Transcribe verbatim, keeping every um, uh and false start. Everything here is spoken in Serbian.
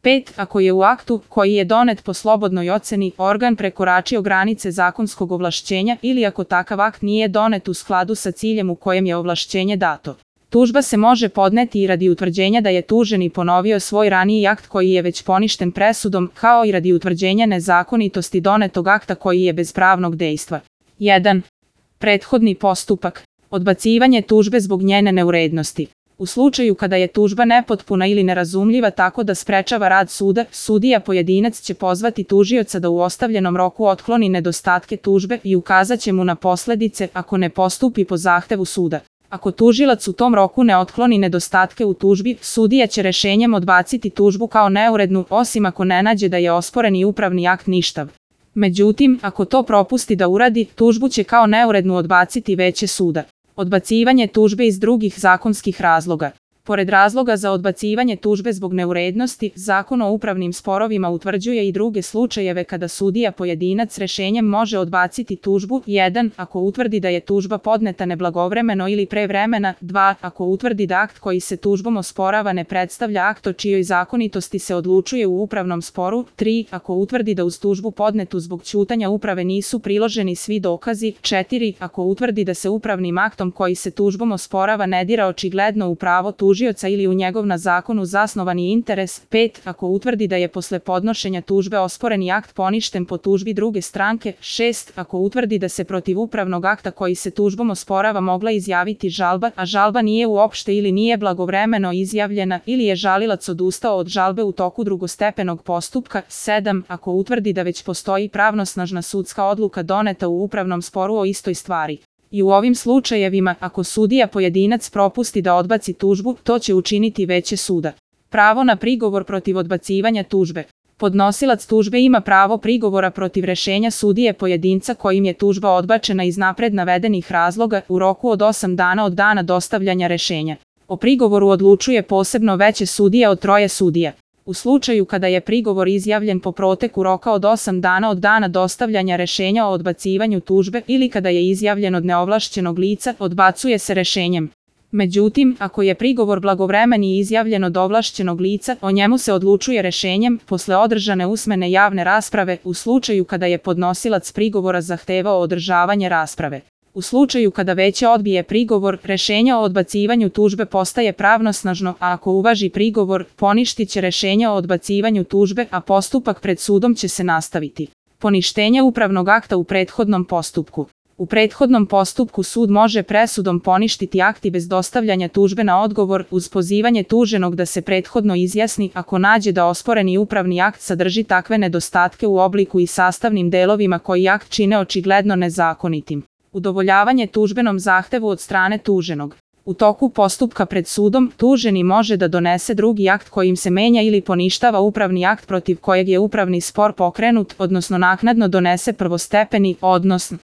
pet. Ako je u aktu, koji je donet po slobodnoj oceni, organ prekoračio granice zakonskog ovlašćenja ili ako takav akt nije donet u skladu sa ciljem u kojem je ovlašćenje dato. Tužba se može podneti i radi utvrđenja da je tuženi ponovio svoj raniji akt koji je već poništen presudom, kao i radi utvrđenja nezakonitosti donetog akta koji je bez pravnog dejstva. jedan. Prethodni postupak. Odbacivanje tužbe zbog njene neurednosti. U slučaju kada je tužba nepotpuna ili nerazumljiva tako da sprečava rad suda, sudija pojedinac će pozvati tužioca da u ostavljenom roku otkloni nedostatke tužbe i ukazat će mu na posledice ako ne postupi po zahtevu suda. Ako tužilac u tom roku ne otkloni nedostatke u tužbi, sudija će rešenjem odbaciti tužbu kao neurednu, osim ako ne nađe da je osporeni upravni akt ništav. Međutim, ako to propusti da uradi, tužbu će kao neurednu odbaciti veće suda. Odbacivanje tužbe iz drugih zakonskih razloga. Pored razloga za odbacivanje tužbe zbog neurednosti, Zakon o upravnim sporovima utvrđuje i druge slučajeve kada sudija pojedinac rešenjem može odbaciti tužbu. jedan. Ako utvrdi da je tužba podneta neblagovremeno ili pre vremena. dva. Ako utvrdi da akt koji se tužbom osporava ne predstavlja akt o čijoj zakonitosti se odlučuje u upravnom sporu. tri. Ako utvrdi da uz tužbu podnetu zbog ćutanja uprave nisu priloženi svi dokazi. četiri. Ako utvrdi da se upravnim aktom koji se tužbom osporava ne dira očigledno u pravo tužioca ili u njegov na zakonu zasnovani interes. pet. Ako utvrdi da je posle podnošenja tužbe osporeni akt poništen po tužbi druge stranke. šest. Ako utvrdi da se protiv upravnog akta koji se tužbom osporava mogla izjaviti žalba, a žalba nije uopšte ili nije blagovremeno izjavljena ili je žalilac odustao od žalbe u toku drugostepenog postupka. sedam. Ako utvrdi da već postoji pravnosnažna sudska odluka doneta u upravnom sporu o istoj stvari. I u ovim slučajevima, ako sudija pojedinac propusti da odbaci tužbu, to će učiniti veće suda. Pravo na prigovor protiv odbacivanja tužbe. Podnosilac tužbe ima pravo prigovora protiv rešenja sudije pojedinca kojim je tužba odbačena iz napred navedenih razloga u roku od osam dana od dana dostavljanja rešenja. O prigovoru odlučuje posebno veće sudija od troje sudija. U slučaju kada je prigovor izjavljen po proteku roka od osam dana od dana dostavljanja rešenja o odbacivanju tužbe ili kada je izjavljen od neovlašćenog lica, odbacuje se rešenjem. Međutim, ako je prigovor blagovremen i izjavljen od ovlašćenog lica, o njemu se odlučuje rešenjem posle održane usmene javne rasprave u slučaju kada je podnosilac prigovora zahtevao održavanje rasprave. U slučaju kada veće odbije prigovor, rešenje o odbacivanju tužbe postaje pravnosnažno, a ako uvaži prigovor, poništit će rešenje o odbacivanju tužbe, a postupak pred sudom će se nastaviti. Poništenje upravnog akta u prethodnom postupku. U prethodnom postupku sud može presudom poništiti akt i bez dostavljanja tužbe na odgovor uz pozivanje tuženog da se prethodno izjasni ako nađe da osporeni upravni akt sadrži takve nedostatke u obliku i sastavnim delovima koji akt čine očigledno nezakonitim. Udovoljavanje tužbenom zahtevu od strane tuženog. U toku postupka pred sudom, tuženi može da donese drugi akt kojim se menja ili poništava upravni akt protiv kojeg je upravni spor pokrenut, odnosno naknadno donese prvostepeni, odnosno